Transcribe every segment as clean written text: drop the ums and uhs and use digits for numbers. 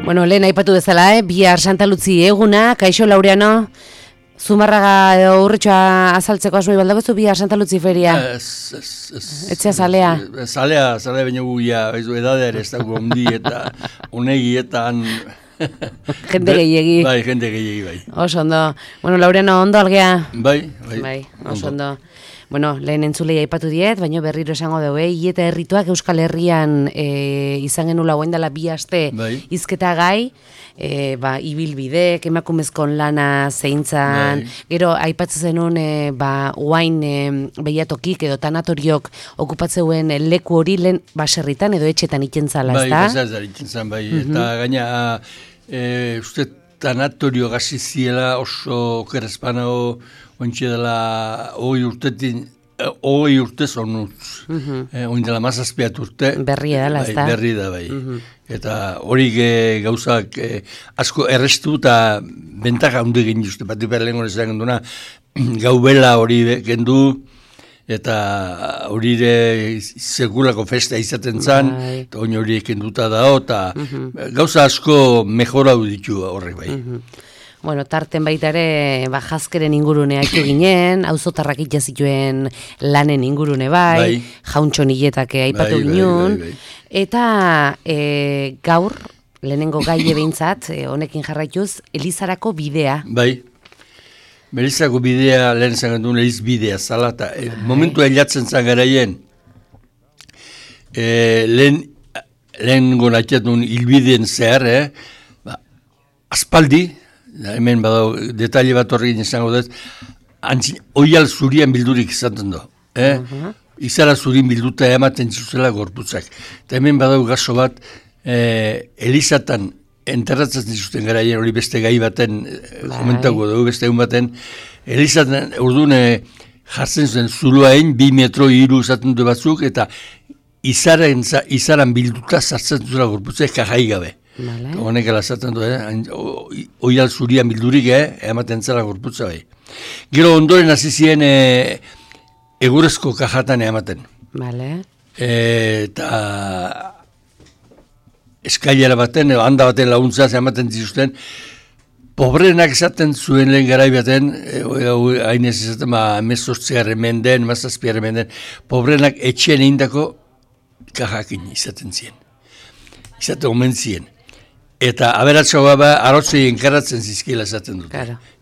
Bueno, lehen aipatu bezala, bihar Santa Luzi eguna, kaixo Laureano, Zumarraga edo Urritxoa azaltzeko asmoi baldagozu bihar Santa Luzi feria? Etxea zalea? Zalea baina guia, edadea ere ez dago ondi eta unegi eta Jende gehiegi. Bai, jende gehiegi, bai. Oso ondo. Bueno, Laureano, ondo algea? Bai. Oso ondo. Bueno, lehen entzulei aipatu diet, baina berriro esango dugu, Ieta Herrituak Euskal Herrian izan genula guen dela 2 aste hizketa gai, ibilbidek, emakumezkon lana zeintzan, gero aipatzen zenun uain behiatokik edo tanatoriok okupatzeuen leku hori lehen baserritan edo etxetan ikentzala, ez da? Bai, baserritan ikentzan, bai, eta gaina uste tanatorio gazi ziela oso kerezpanao ointxe dela 20 urtez onutz. Oin dela 17 urte. Berria dela, ez da? Berri da, bai. Eta hori gauzak asko errestu eta bentaka hundu egin juste. Bat iper lehen hori zagen duna, gaubela hori gendu, eta hori sekulako festa izaten zan, eta oin hori ekenduta dao, eta gauza asko mejorau ditu horrek bai. Bueno, tarten baita ere, jazkeren ingurune haitu ginen, auzotarrak itxazituen lanen ingurune bai, jauntxon hiletake aipatu ginen, eta gaur, lehenengo gai behintzat, honekin jarraituz, Elizarako bidea. Bai, Elizarako bidea, lehen zangan duen Eliz bidea, zala, eta momentu hilatzen zan garaien, lehen gonatiatun hilbideen zehar, aspaldi, hemen badau, detaile bat horrekin izango dut, oial zurian bildurik izaten do. Izara zurin bilduta ematen zuzela gorputzak. Eta hemen badau gaso bat, Elizatan enterratzen zizuten garaien hori beste gai baten, komentako dugu beste egun baten, Elizatan urduan jartzen zuen zuloain, 2 metro 3 izaten du batzuk, eta izaran bilduta zartzen zuzela gorputzak kajai gabe. Honek alazaten du, oial zurian bildurik, ematen zela gorputza bai. Gero ondoren hasi ziren egurezko kajatan ematen. Eta eskailera baten, handa baten laguntzaz ematen zizuten, pobrenak esaten zuen lehen garai baten, hainez esaten, 18 menden, 17 menden, pobrenak etxean egindako kajakin izaten ziren. Izaten omen ziren. Eta aberatxoa arrotzei enkarratzen zizkiela esaten dut.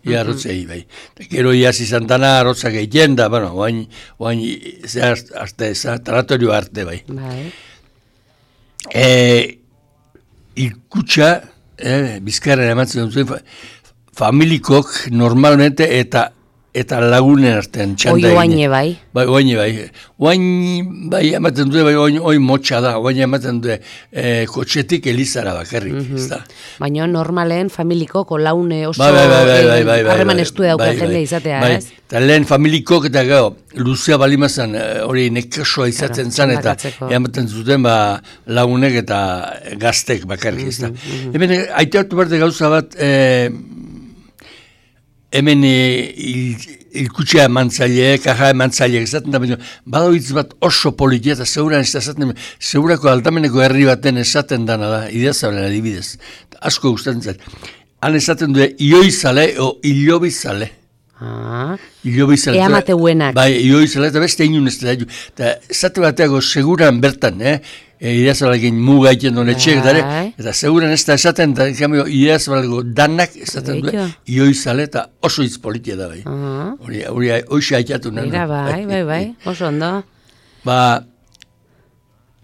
Ia arrotzei, bai. Gero iaz izan dana arrotzak egiten da, bueno, oain taratorio arte, bai. Ikutxa, Bizkarren ematzen dut, familikok normalmente eta lagunen artean txanda egin. Oine bai. Oine bai. Oain bai ematen dute, oin motxa da, oain ematen dute kotxetik Elizara bakarrik, ez da. Baina normalen familikoko laune oso harreman estu dauka jende izatea, ez? Eta lehen familikok eta gau, luzea balimazan hori nekasoa izaten zan, eta ematen zuten lagunek eta gaztek bakarrik, ez da. Hemen, aiteatu barte gauza bat, hemen ilkutxea emantzaileek, kaja emantzaileek esaten da, badau hitz bat oso politia eta zeuran ez da esaten, zeurako aldameneko herri baten esaten dana da, ideazabela adibidez. Asko gustatzen zait. Han esaten du, ioizale o ilobizale. Eamateuenak. Bai, ioizale eta beste inun ez da. Eta esate bateago seguran bertan, ideazabalekin muga egiten duen etxeak, eta seguran ez da esaten, eta ideazabaleko danak esaten du, ioizale eta oso hitz politia da, bai. Hori hoxe haitatu nahi. Bai, oso ondo.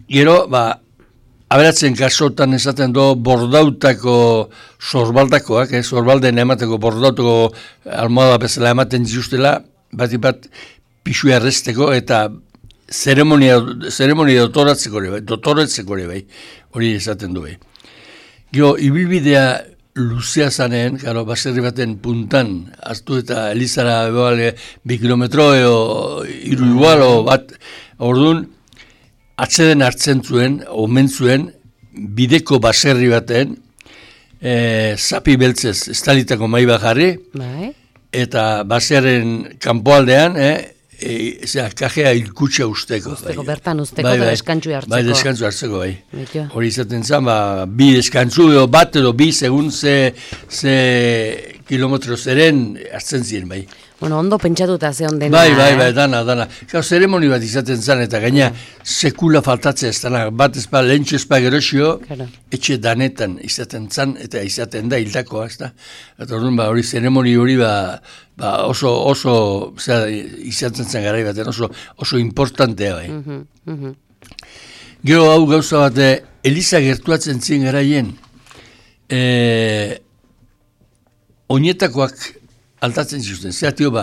Gero, aberatzen kasotan esaten du bordautako sorbaldakoak, sorbalden emateko bordautako almohada bezala ematen zizustela, bat pixu errezteko eta zeremonia dotoratzeko ere bai, hori esaten du bai. Gero, ibilbidea luzea zanen, baserri baten puntan, hartu eta Elizara 2 kilometro edo 3 igual, bat, orduan, atzeden hartzen zuen, omen zuen, bideko baserri baten, zapi beltzez estalitako mai bat jarri, eta basearen kanpoaldean, kajea ilkutxa usteko. Bertan usteko eta deskantzu hartzeko. Bai, deskantzu hartzeko, bai. Hori izaten zen, bi deskantzu edo bat edo bi segun ze kilometro zeren hartzen ziren, bai. Bueno, ondo pentsatuta ze ondena. Bai, dana. Zeremoni bat izaten zen, eta gaina sekula faltatzea ez dana. Bat ezpa, lehentxe ezpa gerosio, etxe danetan izaten zen, eta izaten da hildakoa, ez da. Eta hori zeremoni hori oso izaten zen garai baten, oso importantea bai. Gero hau gauza bat, Eliza gertuatzen ziren garaien, oinetakoak altatzen zituzten, zeatio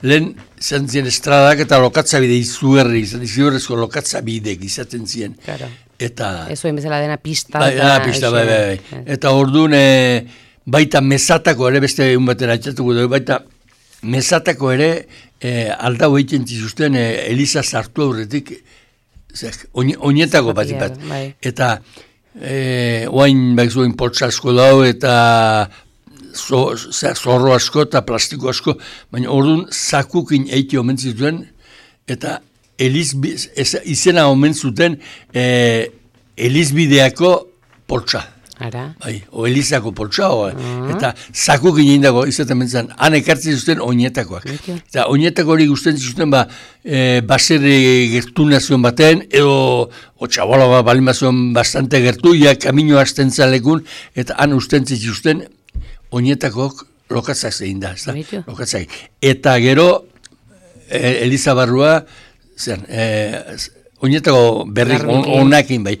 lehen izan ziren estradak eta lokatzabide izugarrezko lokatzabidek izaten ziren. Eta... Ez zuen bezala dena pista. Bai. Eta orduan baita mesatako ere, beste egun baten atxatuko dugu, baita mesatako ere aldau egiten zituzten Eliza sartu aurretik, oinetako bat. Eta oain zuen poltsasko dau eta zorro asko eta plastiko asko, baina orduan zakukin eiti omen zituen, eta izena omen zuten Elizbideako poltsa. O Elizako poltsa, eta zakukin egindako izaten bentzen, han ekartzen zuten oinetakoak. Eta oinetako hori guztien zuten baserri gertu nazion baten, edo txabola balimazion bastante gertu, kamino hasten zalekun, eta han usten zituzten oinetakok lokatzak zein da, lokatzak. Eta gero, Eliza barrua, oinetako berrik onakin bai.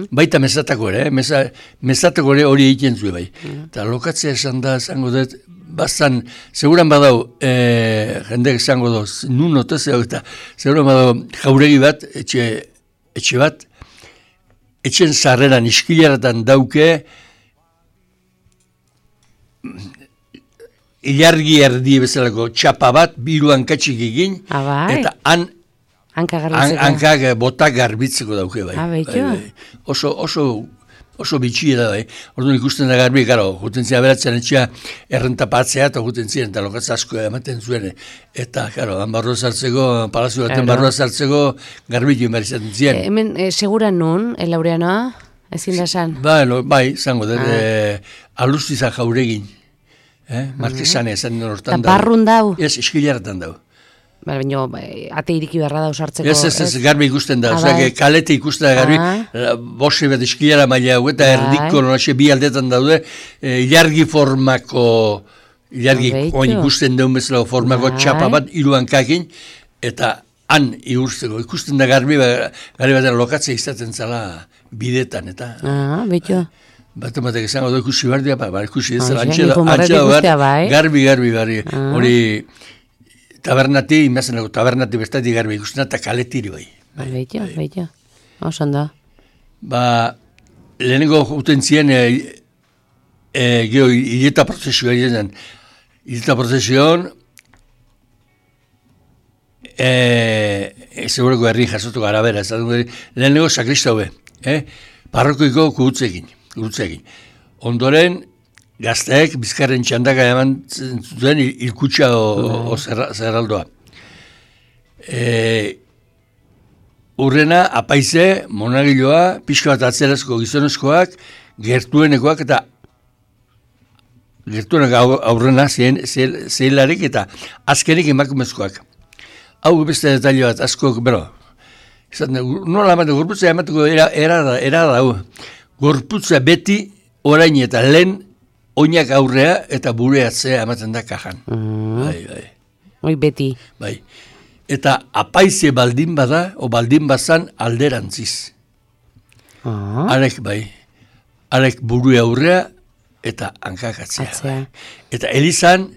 Baita mesatako ere, mesatako ere hori egiten zuen bai. Eta lokatzea esan da, esango dut, bastan, seguran badau, jendek esango dut, nun otezeo, eta seguran badau jauregi bat, etxe bat, etxen sarreran, iskilaratan dauke, ilargi erdi bezalako txapa bat, biru hankatxik egin, eta hankak botak garbitzeko dauke bai. Oso bitxia da bai. Orduan ikusten da garbi, juten zia beratzen etxea errentapatzea eta juten ziren, eta lokatza asko ematen zuen. Eta, han barroa zartzeko, palazio baten barroa zartzeko, garbitu behar izaten ziren. Hemen, seguran nun, Laureanoa? Ezin da esan? Bai, zango, alustiza jauregin. Marquesane esan hortan da. Eta barrun dau? Ez, eskilaratan dau. Baina, ate iriki beharra da usartzeko. Ez, garbi ikusten da. Kalete ikusten da garbi, bose bat eskilara maila hau, eta erdiko bi aldetan daude, ilargi formako, ilargi oin ikusten daun bezala formako txapa bat, iruan kakin, eta han igurtzeko. Ikusten da garbi baten lokatzea izaten zala bidetan, eta... Batek esango da ikusi behar dira, ikusi ez zela, garbi, hori tabernati, imazenako tabernati bestati garbi ikusten eta kaletiri bai. Beito, osan da. Lehenengo uten ziren, hileta prozesioa izan, segureko herri jasotuko arabera, lehenengo sakrista hube, parrokoiko gurutzekin. Ondoren, gazteek bizkarren txandaka eman zuten ilkutxa o zerraldoa. Urrena, apaize, monagiloa, pixka bat atzerazko gizonezkoak, gertuenekoak eta gertuenek aurrena zeilarik eta azkenik emakumezkoak. Hau beste detaile bat, askok, nola amate, gorputza emateko era da, gorputza beti orain eta lehen oinak aurrea eta bure atzea ematen da kajan. Oi beti. Bai. Eta apaize baldin bada, o baldin bazan alderantziz. Arek bai. Arek buru aurrea eta hankak atzea. Eta Elizan,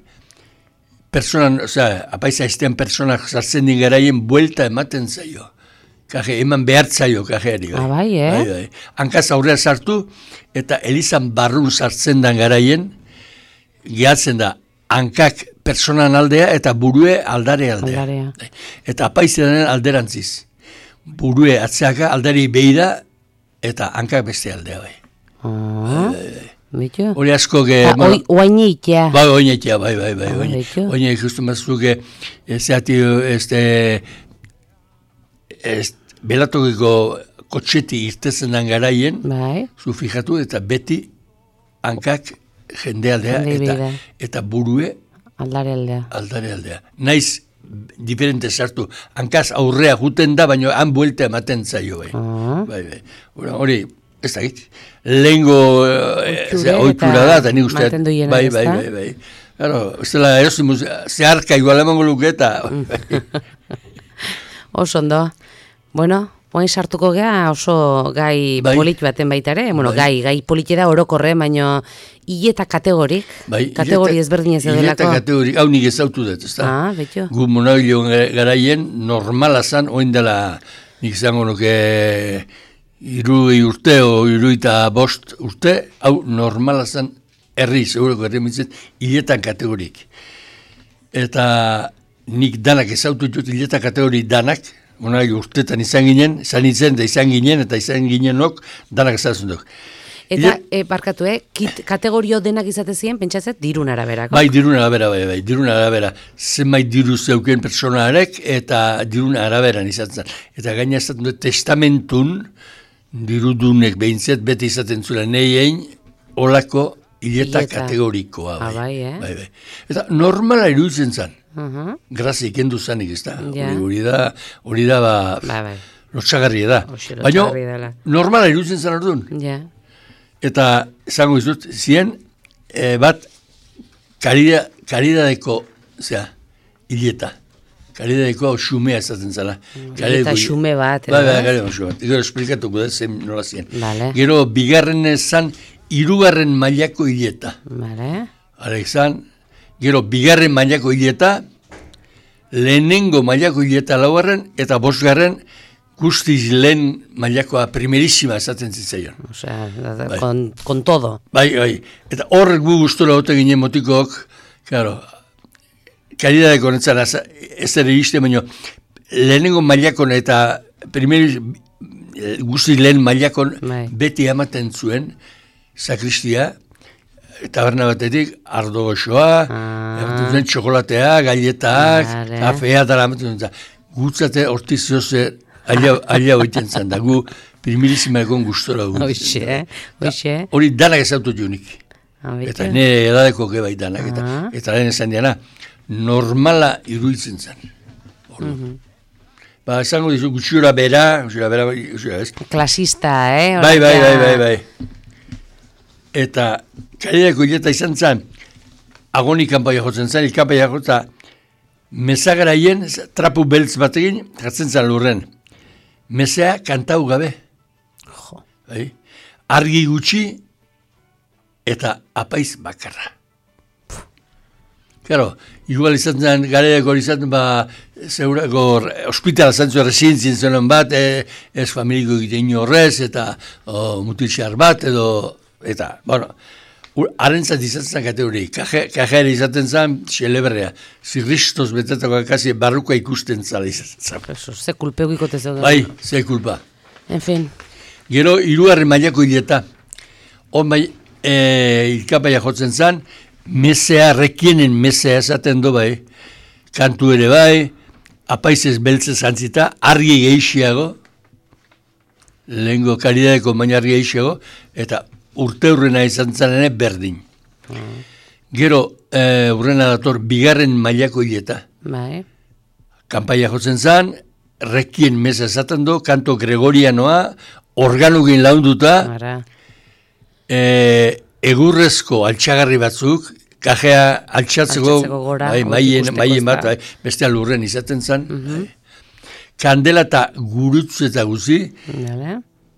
apaize aiztean personak sartzen din garaien buelta ematen zaio. Eman behartzaio kajeari. Bai. Hankaz aurrea sartu, eta Elizan barrun sartzen dan garaien, gehatzen da, hankak personan aldea eta burue aldare aldea. Eta apaize denen alderantziz. Burue atzeaka aldari behira eta hankak beste aldea bai. Bitu? Hori asko... Oainitea. Bai, oainitea, bai. Oainitea ikusten bazuke, belatokiko kotxeti irtezenan garaien, zu fijatu eta beti hankak jendealdea eta burue aldare aldea. Naiz diferente sartu. Hankaz aurrea juten da, baina han buelta ematen zaio. Bai. Hori, ez da git. Lehengo oitura da, eta nik usteat. Bai. Ez dela erosimus, zeharka igual emango luke eta... Oso ondo. Bueno, oain sartuko gea oso gai polit baten baita ere. Bueno, gai polite da orokorre, baina hileta kategorik. Kategori ezberdinez edelako. Hileta kategorik, hau nik ezautu dut, ez da? Betxo. Gu monabilo garaien normala zan, oin dela nik izango nuke 60 urte o 65 urte, hau normala zan segurako herri mitzet, hiletan kategorik. Eta nik danak ezautu dut hileta kategori danak, urtetan izan ginen, eta izan ginenok, danak ezatzen duk. Eta, barkatu, kategorio denak izate ziren, pentsatzet, dirun araberako? Bai, dirun arabera. Zenbait diru zeuken personarek, eta dirun araberan izatzen. Eta gaina ezaten dut, testamentun, dirudunek behintzet, bete izaten zula neien, olako hileta kategorikoa. Bai. Eta normala iruditzen zan. Grazia ikendu zanik, ez da? Hori da, lotxagarria da. Baina, normala iruditzen zan orduan. Eta, esango izut, ziren, bat, karidadeko, hileta. Karidadeko xumea ezaten zala. Hileta xume bat. Bai, karidadeko xume bat. Gero, esplikatuko da, zen nola ziren. Gero, bigarren ezan, 3. mailako hileta. Gero, bigarren mailako hileta, lehenengo mailako hileta 4. eta 5. guztiz lehen mailakoa primerísima esaten zitzaion. Con todo. Bai. Eta horrek gu gustora ote ginen motikok, claro, karidadeko netzara ez ere izte, baina lehenengo mailakon eta guztiz lehen mailakon beti amaten zuen, sakristia, taberna batetik, ardo goxoa, txokolatea, galletak, kafea, dara amaten zuen. Gutzate hortizioze alia hoiten zan da, gu primirísima egon gustora gu. Hoxe. Hori danak ezautu junik. Eta nire edadeko gebai danak. Eta lehen esan diana, normala iruditzen zan. Esango dizu, gutxura bera, ez? Klasista, Bai. Eta karidako hileta izan zan, agoni kanpaia jotzen zan, kanpaia jotza, mesagaraien, trapu beltz batekin, jatzen zan lurren. Mesea kantau gabe. Argi gutxi eta apaiz bakarra. Claro, igual izan zen, gareako izan, zeurako hospitala zantzu residentzien zenen bat, ez familiko egiten horrez, eta mutilxar bat, eta, bueno, harentzat izan zen kategori, kajera izaten zen, xelebrea, zirristos betetako kasi barruka ikusten zala izaten zen. Ze kulpeu ikote zeuden. Bai, ze kulpa. En fin. Gero, 3. mailako hileta, hon bai, ilkapaia jotzen zen, mesea, rekienen mesea esaten do bai, kantu ere bai, apaizez beltzez antzita, argi gehiago, lehengo karidadeko baina argi gehiago, eta urte hurrena izan zanene berdin. Gero, hurrena dator, 2. mailako hileta. Kanpaia jotzen zan, rekien mesa esaten do, kanto gregorianoa, organugin launduta, egurrezko altxagarri batzuk, kajea altxatzeko maien bat, beste alurren izaten zan, kandela eta gurutzu eta guzi,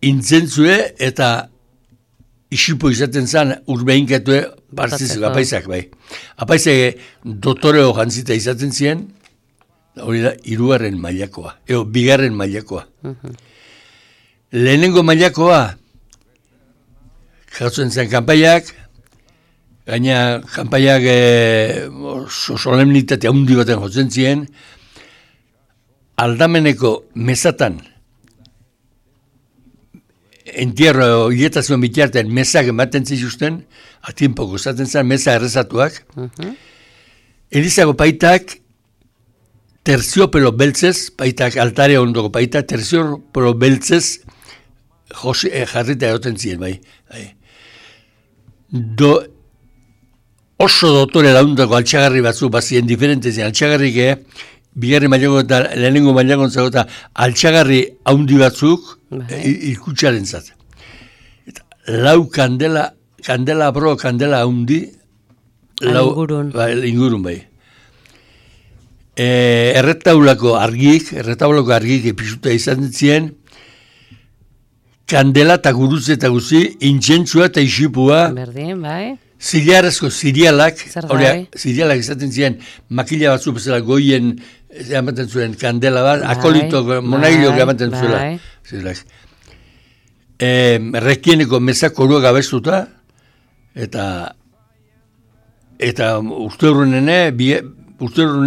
intzentzue eta isipo izaten zan urbeinkatue partiziko apaizak bai. Apaizak dotoreo jantzita izaten ziren, hori da 3. mailakoa, 2. mailakoa. Lehenengo mailakoa, jatzen zen kanpaiak, gaina kanpaiak solemnitate handi baten jotzen ziren, aldameneko mesatan entierro hiletazioan bitartean mesak ematen zituzten, atienpoko esaten zen, mesa errezatuak. Elizako paitak terziopelo beltzez, paitak altare ondoko paitak, terziopelo beltzez jarrita egoten ziren, bai. Oso dotore laundako altxagarri batzu bazien diferentezien, altxagarrik bigarren mailako eta lehenengo mailako eta altxagarri haundi batzuk ikutsaren zat. Lau kandela haundi, ingurun bai. Erretaulako argik pisuta izan ziren, kandela eta gurutze eta guzi, intzentzua eta isipua. Berdin, bai. Ziliarrezko zirialak izaten ziren, makila batzu bezala goien ematen zuen kandela bat, akolito, monagilok ematen zuela. Rekieneko mesak koruak abestuta, eta uste urrene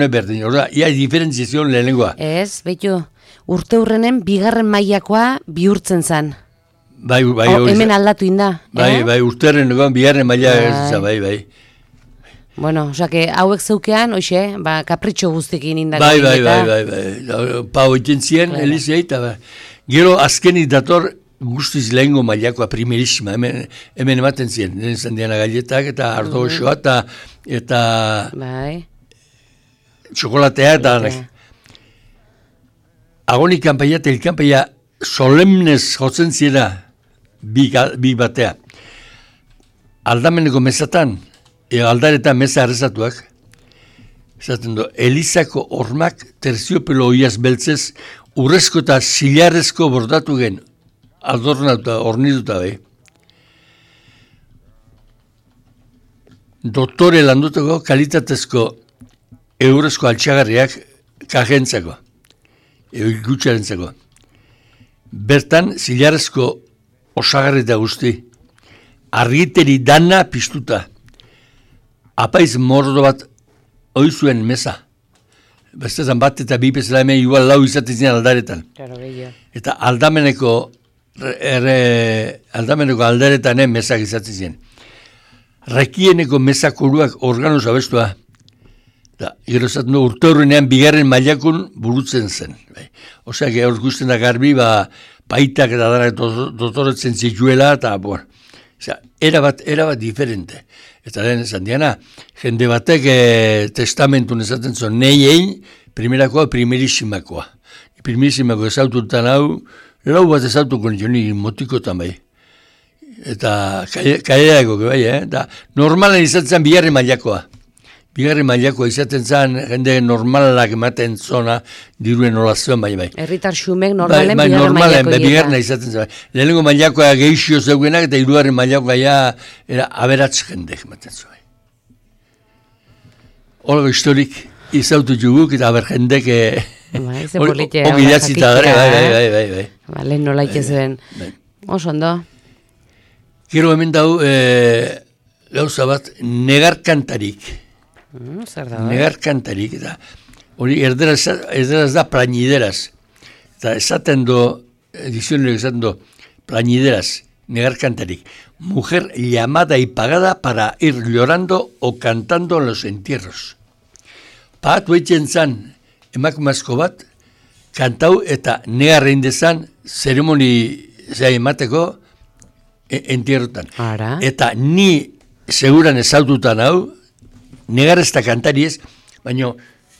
berdin. Horda, ia diferentziazion lehenengoa. Ez, behitu, urte urrenen bigarren mailakoa bihurtzen zen. Bai, hemen aldatu inda. Bai, urterren egon bigarren maila ez, bai. Bueno, osake, hauek zeukean, hoxe, kapritxo guztekin indak. Bai. Pau iten zien, Elizei, eta gero azkenik dator guztiz lehengo mailakoa, primerissima, hemen ematen zien, nire zandiana galletak, eta ardo osoa, eta txokolatea, eta agonik kanpaia eta ilkanpaia solemnez jotzen ziera bi batea. Aldameneko mesatan, aldaretan mesa arrezatuak, esaten du, Elizako hormak terziopelo oiaz beltzez, urrezko eta zilarrezko bordatu gen, adornatuta, ornituta bai. Doktore landuteko kalitatezko eurezko altxagarriak kajentzako, gutxarentzako. Bertan, zilarrezko osagarri da guzti, argiteri dana piztuta, apaiz mordo bat oizuen mesa. Bestetan bat eta bi bezala hemen igual lau izaten ziren aldaretan. Eta aldameneko aldaretanen mesak izaten ziren. Rekieneko mesakoruak organoz abestua. Gero zaten du urte horrenean bigarren mailakun burutzen zen. Oseak hor guztien da garbi, paitak eta dara dotoretzen zituela, eta erabat diferente. Eta lehen esan diana, jende batek testamentun esaten zuen, nei primerakoa, primerissimakoa. Primerissimakoa ezaututan hau, lau bat ezautuko nio motikotan bai. Eta kaileako bai, eta normalen izaten bigarren mailakoa. Bigarren mailakoa izaten zen, jende normalak ematen zona, diruen olazioan bai. Herritar xumek normalen bigarren mailakoa. Bigarren izaten zen. Lehenengo mailakoa geixio zeugenak, eta hirugarren mailakoa era aberatz jendek ematen zuen. Olgo historik izautu juguk, eta aber jendek ongi datzita gara, bai. Lehen nola ikizuen. Oso ondo. Gero hemen dau, gauza bat, negar kantarik. Negar kantarik, eta hori erderaz da plañideraz. Eta esaten do, edizionerik esaten do, plañideraz, negar kantarik. Mujer llamada y pagada para ir llorando o cantando en los entierros. Pagatu eitzen zan, emakumazko bat, kantau eta negar eindezan, zeremoni emateko entierrotan. Eta ni seguran ezaututan hau, negar ez da kantari ez, baina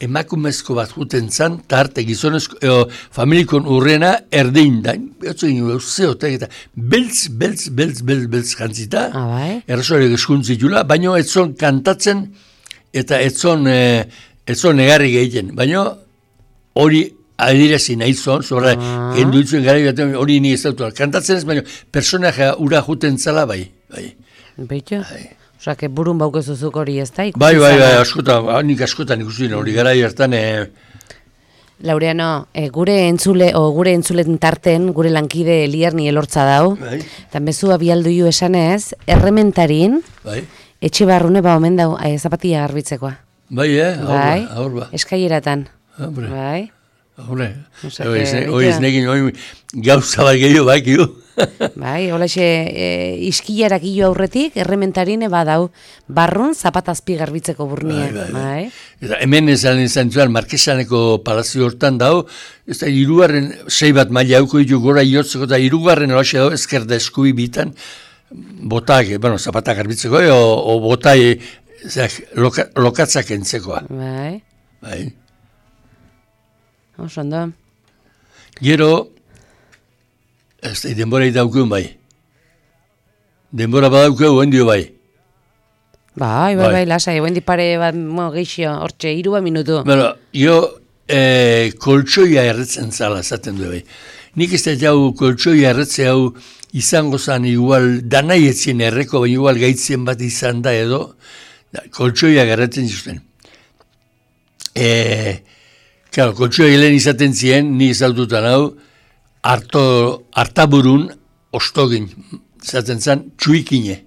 emakumezko bat juten zan, eta arte gizonezko, familikon urrena erdein da, eta beltz jantzita, errezoarek eskuntzitula, baina etzon kantatzen, eta etzon negarri egiten, baina hori adirazi nahi zon, zorra, gendu ditzuen gara batean, hori ni ez dautu, kantatzen ez, baina personaja ura juten zala, bai. Beito? Osa, burun baukezuzuk hori ez da? Bai, nik askotan ikusten hori gara hartan. Laureano, gure entzulen tarten, gure lankide Elierni elortza dau, eta mezua bialduiu esanez, errementarin, etxe barrune omen dau zapatia garbitzekoa. Bai, aurba. Eskaieratan. Bai. Hore, ez nekin gauza bat gehiago, bai, Bai, holaxe iskilarak hilo aurretik, errementarine badau, barrun zapatazpi garbitzeko burnie. Bai. Eta hemen izan zuen, Markesaneko palazio hortan dau, ez da, irugarren, 6 bat maila hauko ditu gora iotzeko, eta irugarren holaxe dau, ezkerda eskubi bitan, botak, bueno, zapatak garbitzeko, o botai, lokatzak entzekoa. Bai. Osondo. Gero, ez da, denbora daukun bai. Denbora badaukeu, hendio bai. Bai, lasai, hendi pare bat, geixio, hortxe, 3 minutu. Bueno, jo, koltsoia erretzen zala, zaten du bai. Nik ez da jau koltsoia erretze hau izango zan igual, danai etzien erreko, baina igual gaitzen bat izan da edo, koltsoia erretzen zuten. Claro, koltsoia helen izaten zien, ni izaututan hau, hartaburun ostogin, izaten zan, txuikine.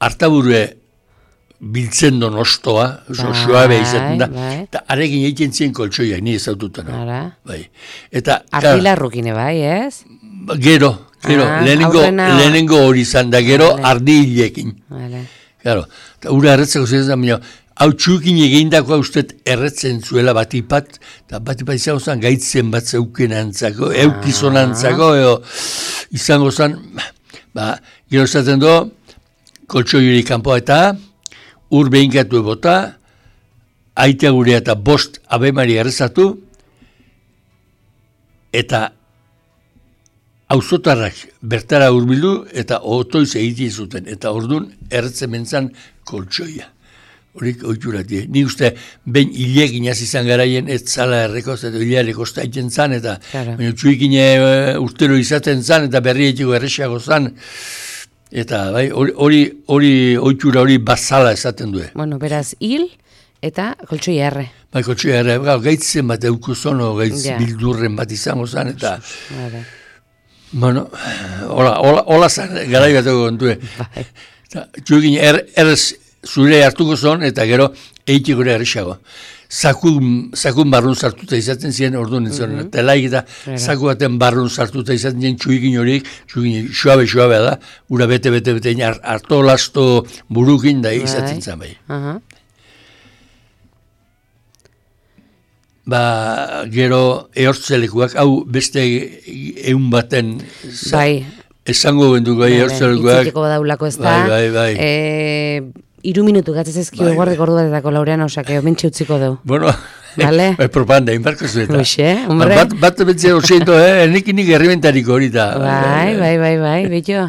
Hartaburue biltzen don ostoa, suabe izaten da, eta arekin egiten zien koltsoia, ni izaututan hau. Ardilarrukine bai, ez? Gero, lehenengo hori izan da, gero ardi hilekin. Claro, eta ura erretzeko zezen da, hau txukin egindakoa ustet erretzen zuela batipat, eta batipat izango zen gaitzen bat zeuken antzako, eukizon antzako, izango zen, gero zaten do, koltsoi hori kanpoa eta, ur behinkatu ebota, aitea gurea eta 5 abemari errezatu, eta auzotarrak bertara hurbildu eta otoiz egiten zuten. Eta orduan erretzen mentzan koltsoia. Horik oituratik. Ni uste, behin hilekin izan garaien ez zala errekoz, eta hilearek ostaiten zan, eta txuikine urtero izaten zan, eta berri etiko errexiago zan. Eta hori oitura hori bazala esaten du. Bueno, beraz, hil eta koltsoia erre. Bai, koltsoia erre. Gaitzen bat eukuzono, gaitz bildurren bat izango zan, eta... Bueno, hola zan, garai bateko kontue. Txuekin errez zure hartuko zon, eta gero eitik gure errexago. Zakun barrun sartuta izaten ziren, orduan nintzen, telaik eta zaku baten barrun sartuta izaten ziren txuekin horik, txuekin suabe da, ura bete, harto lasto burukin da izaten zen bai. Gero ehortzelekuak, hau beste egun baten esango benduko ehortzelekuak. Itziteko badaulako ez da. Bai. 3 minutu gatzez ezkio eguardeko ordu batetako Laureano, osake, mentxe utziko dugu. Bueno, propaganda, inbarko zueta. Hoxe, hombre. Bat bentzea oseito, nik herrimentariko hori da. Bai, betxo.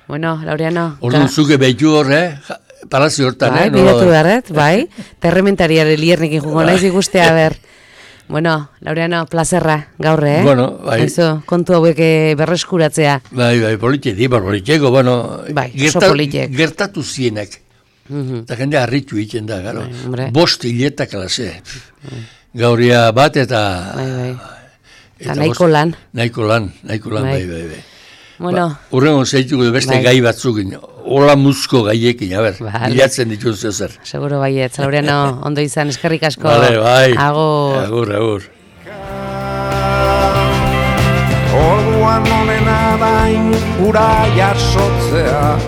Bueno, Laureano. Orduan zuke betxu hor, palazio hortan, Bai, bidatu beharret, bai. Terrementariare liernekin jugo naiz ikustea ber. Bueno, Laureano, plazerra, gaurre, Bueno, bai. Eso, kontu hauek berreskuratzea. Bai, politxeko, bueno, gertatu zienak. Eta jende harritu egiten da, gero. 5 hiletak alase. Gauria bat eta... Eta nahiko lan. Nahiko lan, bai. Bueno. Urrengo zeituko beste gai batzukin. Hola muzko gaiekin, bilatzen dituz zer. Seguro baiet, Laureano, ondo izan, eskerrik asko. Bai. Agur. Agur. Orduan onena dain ura jasotzea,